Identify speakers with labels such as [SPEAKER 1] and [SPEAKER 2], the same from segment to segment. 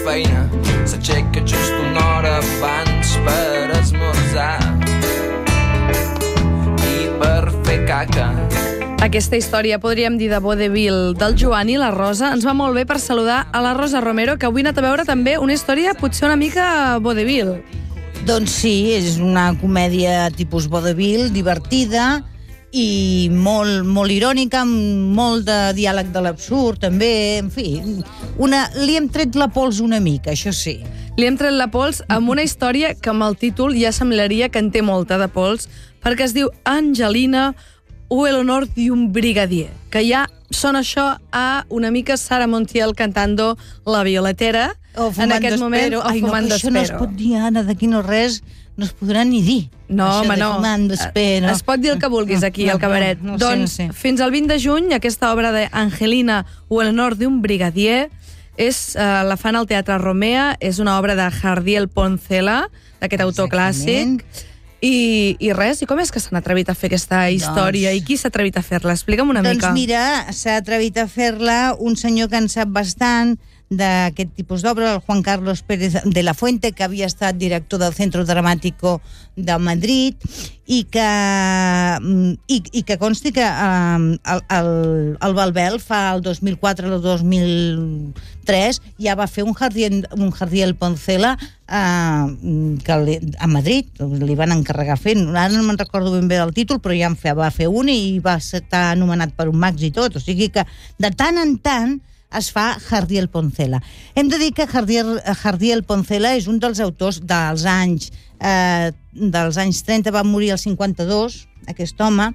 [SPEAKER 1] feina, s'aixeca just una hora abans per esmorzar i per fer caca.
[SPEAKER 2] Aquesta història, podríem dir, de vodevil del Joan i la Rosa, ens va molt bé per saludar a la Rosa Romero, que avui ha anat a veure també una història potser una mica vodevil.
[SPEAKER 3] Doncs sí, és una comèdia tipus vodevil, divertida i molt irònica, amb molt de diàleg de l'absurd, també, en fi, li hem tret la pols una mica, això sí.
[SPEAKER 2] Li hem tret la pols amb una història que amb el títol ja semblaria que en té molta de pols, perquè es diu Angelina o el honor d'un brigadier, que ja sona això a una mica Sara Montiel cantando La Violetera, en aquest moment, o Fumant
[SPEAKER 3] Això no es pot dir, Anna, d'aquí no res, no es podrà ni dir.
[SPEAKER 2] No, home, no.
[SPEAKER 3] Fumant d'espero.
[SPEAKER 2] Es pot dir el que vulguis aquí, al cabaret. Doncs, fins al 20 de juny, aquesta obra d'Angelina o el honor d'un brigadier la fan al Teatre Romea, és una obra de Jardiel Poncela, d'aquest autor clàssic. I res, i com és que s'han atrevit a fer aquesta història? I qui s'ha atrevit a fer-la? Explica'm una mica.
[SPEAKER 3] Doncs mira, s'ha atrevit a fer-la un senyor que en sap bastant d'aquest tipus d'obra, el Juan Carlos Pérez de la Fuente, que havia estat director del Centro Dramático de Madrid, i que consti que el Balbel fa el 2004 o el 2003 ja va fer un Jardiel Poncela a Madrid, li van encarregar fent, ara no me'n recordo ben bé del títol, però ja va fer un i va estar anomenat per un Max i tot, o sigui que de tant en tant es fa Jardiel Poncela. Hem de dir que Jardiel Poncela és un dels autors dels anys 30, va morir al 52, aquest home,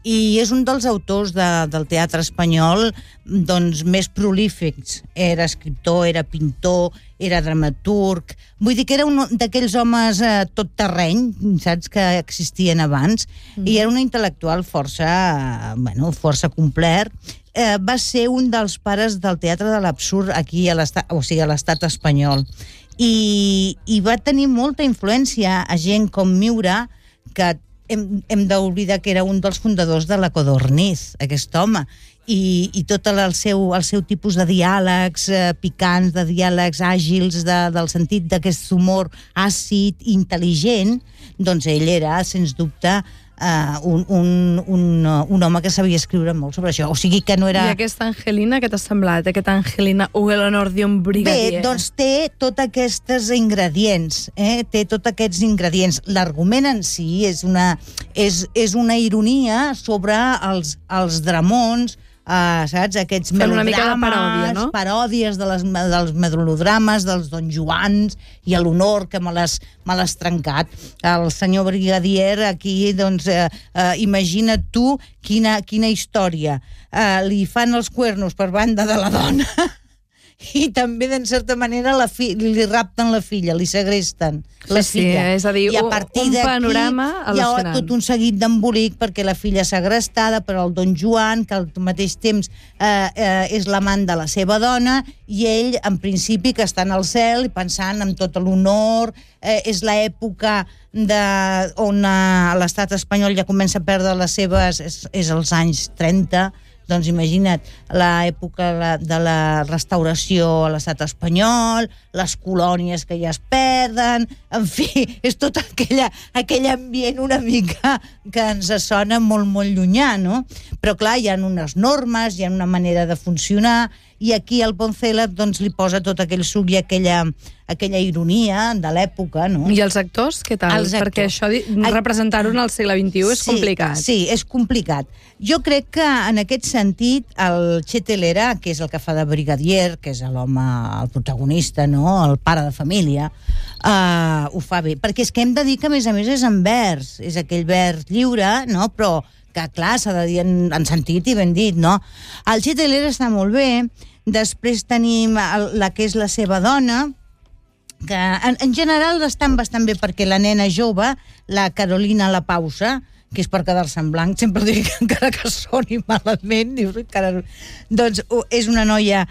[SPEAKER 3] i és un dels autors del teatre espanyol doncs, més prolífics. Era escriptor, era pintor, era dramaturg, vull dir que era un d'aquells homes tot terreny, saps, que existien abans, i era un intel·lectual força complet. Va ser un dels pares del teatre de l'absurd aquí a l'estat espanyol, i va tenir molta influència a gent com Miura, que hem d'oblidar que era un dels fundadors de la Codorniz, aquest home, i tot el seu tipus de diàlegs picants, de diàlegs àgils, del sentit d'aquest humor àcid, intel·ligent, doncs ell era, sens dubte, un home que sabia escriure molt sobre això, o sigui que no era...
[SPEAKER 2] I aquesta Angelina, què t'ha semblat? Aquesta Angelina o el honor d'un brigadier?
[SPEAKER 3] Bé, doncs té tots aquests ingredients, té tots aquests ingredients. L'argument en si és una ironia sobre els dramons, saps? Aquests melodrames,
[SPEAKER 2] una mica de paròdia, no?
[SPEAKER 3] Paròdies dels melodrames, dels Don Joans i l'honor que me l'has trencat. El senyor brigadier aquí, doncs, imagina't tu quina història. Li fan els cuernos per banda de la dona i també, d'en certa manera, li rapten la filla, li segresten la filla.
[SPEAKER 2] És a dir, un panorama al·lucinant.
[SPEAKER 3] Hi ha tot un seguit d'embolic perquè la filla segrestada per el Don Joan, que al mateix temps és l'amant de la seva dona, i ell, en principi, que està en el cel, pensant en tot l'honor. És l'època on l'estat espanyol ja comença a perdre les seves... És els anys 30, doncs imagina't, l'època de la restauració a l'estat espanyol, les colònies que ja es perden, en fi, és tot aquell ambient una mica que ens sona molt, molt llunyà, no? Però clar, hi ha unes normes, hi ha una manera de funcionar, i aquí el Poncela doncs, li posa tot aquell suc i aquella ironia de l'època, no?
[SPEAKER 2] I els actors, què tal? Perquè això, representar-ho en el segle XXI és complicat.
[SPEAKER 3] Sí, és complicat. Jo crec que, en aquest sentit, el Che Telera, que és el que fa de brigadier, que és l'home, el protagonista, no?, el pare de família, ho fa bé. Perquè és que hem de dir que, a més, és en vers. És aquell vers lliure, no?, però que, clar, s'ha de dir en sentit i ben dit, no? El Che Telera està molt bé. Després tenim la que és la seva dona, que en general estan bastant bé, perquè la nena jove, la Carolina La Pausa, que és per quedar-se en blanc, sempre dic que encara que soni malament, doncs és una noia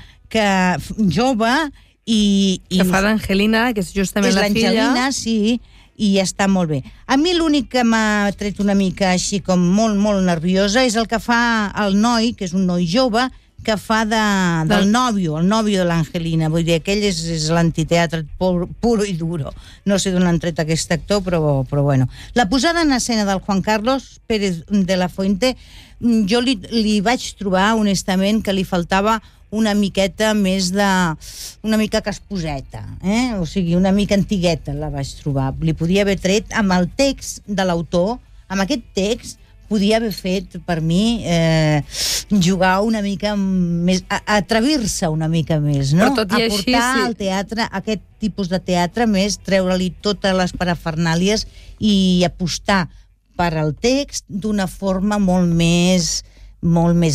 [SPEAKER 3] jove i
[SPEAKER 2] que fa d'Angelina, que és justament la filla.
[SPEAKER 3] És l'Angelina, sí, i està molt bé. A mi l'únic que m'ha tret una mica així com molt, molt nerviosa és el que fa el noi, que és un noi jove, que fa del nòvio, el nòvio de l'Angelina. Vull dir, aquell és l'antiteatre puro i duro. No sé d'on han tret aquest actor, però bueno. La posada en escena del Juan Carlos Pérez de la Fuente, jo li vaig trobar, honestament, que li faltava una miqueta més una mica casposeta, o sigui, una mica antigueta la vaig trobar. Li podia haver tret amb el text de l'autor, amb aquest text podia haver fet, per mi, jugar una mica més, atrevir-se una mica més, no?
[SPEAKER 2] Però tot i així,
[SPEAKER 3] aportar al teatre, aquest tipus de teatre més, treure-li totes les parafernàlies i apostar per al text d'una forma molt més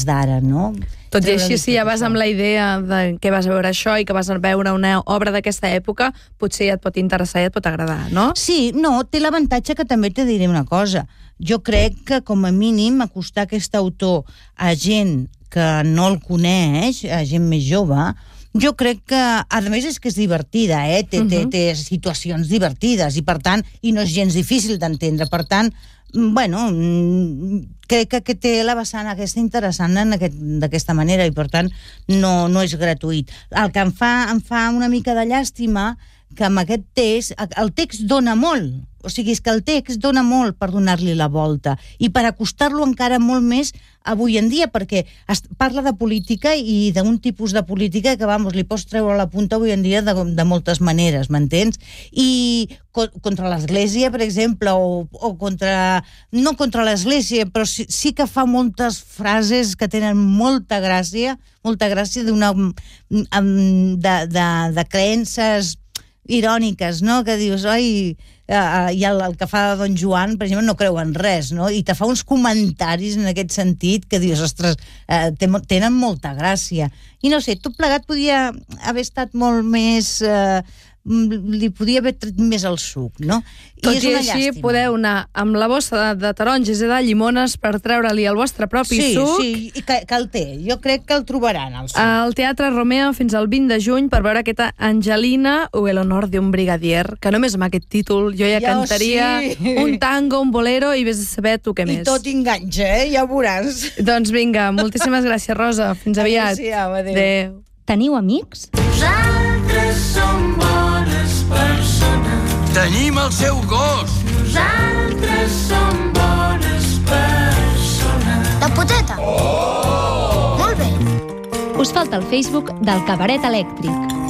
[SPEAKER 3] d'ara, no?
[SPEAKER 2] Tot i així, si ja vas amb la idea de que vas a veure això i que vas a veure una obra d'aquesta època, potser ja et pot interessar i et pot agradar, no?
[SPEAKER 3] Sí, no, té l'avantatge que també te diré una cosa. Jo crec que, com a mínim, acostar aquest autor a gent que no el coneix, a gent més jove, jo crec que, a més, és que és divertida, té situacions divertides, i per tant, i no és gens difícil d'entendre, per tant, bueno, crec que té la vessant aquesta interessant d'aquesta manera, i per tant no és gratuït. El que em fa una mica de llàstima que amb aquest text, el text dona molt, o sigui, és que el text dona molt per donar-li la volta i per acostar-lo encara molt més avui en dia, perquè parla de política i d'un tipus de política que, vamos, li pots treure la punta avui en dia de moltes maneres, m'entens? I contra l'Església, per exemple, o contra... no contra l'Església, però sí que fa moltes frases que tenen molta gràcia de creences iròniques, no? Que dius, oi, i el que fa Don Joan, per exemple, no creu en res, no? I te fa uns comentaris en aquest sentit que dius, ostres, tenen molta gràcia. I no sé, tot plegat podia haver estat molt més... li podia haver tret més el suc, no?
[SPEAKER 2] Tot i així podeu anar amb la bossa de taronges i de llimones per treure-li el vostre propi suc.
[SPEAKER 3] Sí, i que el té. Jo crec que el trobaran, el suc.
[SPEAKER 2] Al Teatre Romea fins al 20 de juny per veure aquesta Angelina o el honor de un brigadier, que només amb aquest títol jo ja cantaria un tango, un bolero i vés a saber tu què més.
[SPEAKER 3] I tot enganxa, ja ho veuràs.
[SPEAKER 2] Doncs vinga, moltíssimes gràcies, Rosa. Fins aviat.
[SPEAKER 3] Adéu.
[SPEAKER 4] Teniu amics?
[SPEAKER 1] Nosaltres som bones persones. Tenim el seu gos. Nosaltres som bones persones.
[SPEAKER 4] La poteta? Oh! Molt bé. Us falta el Facebook del Cabaret Elèctric.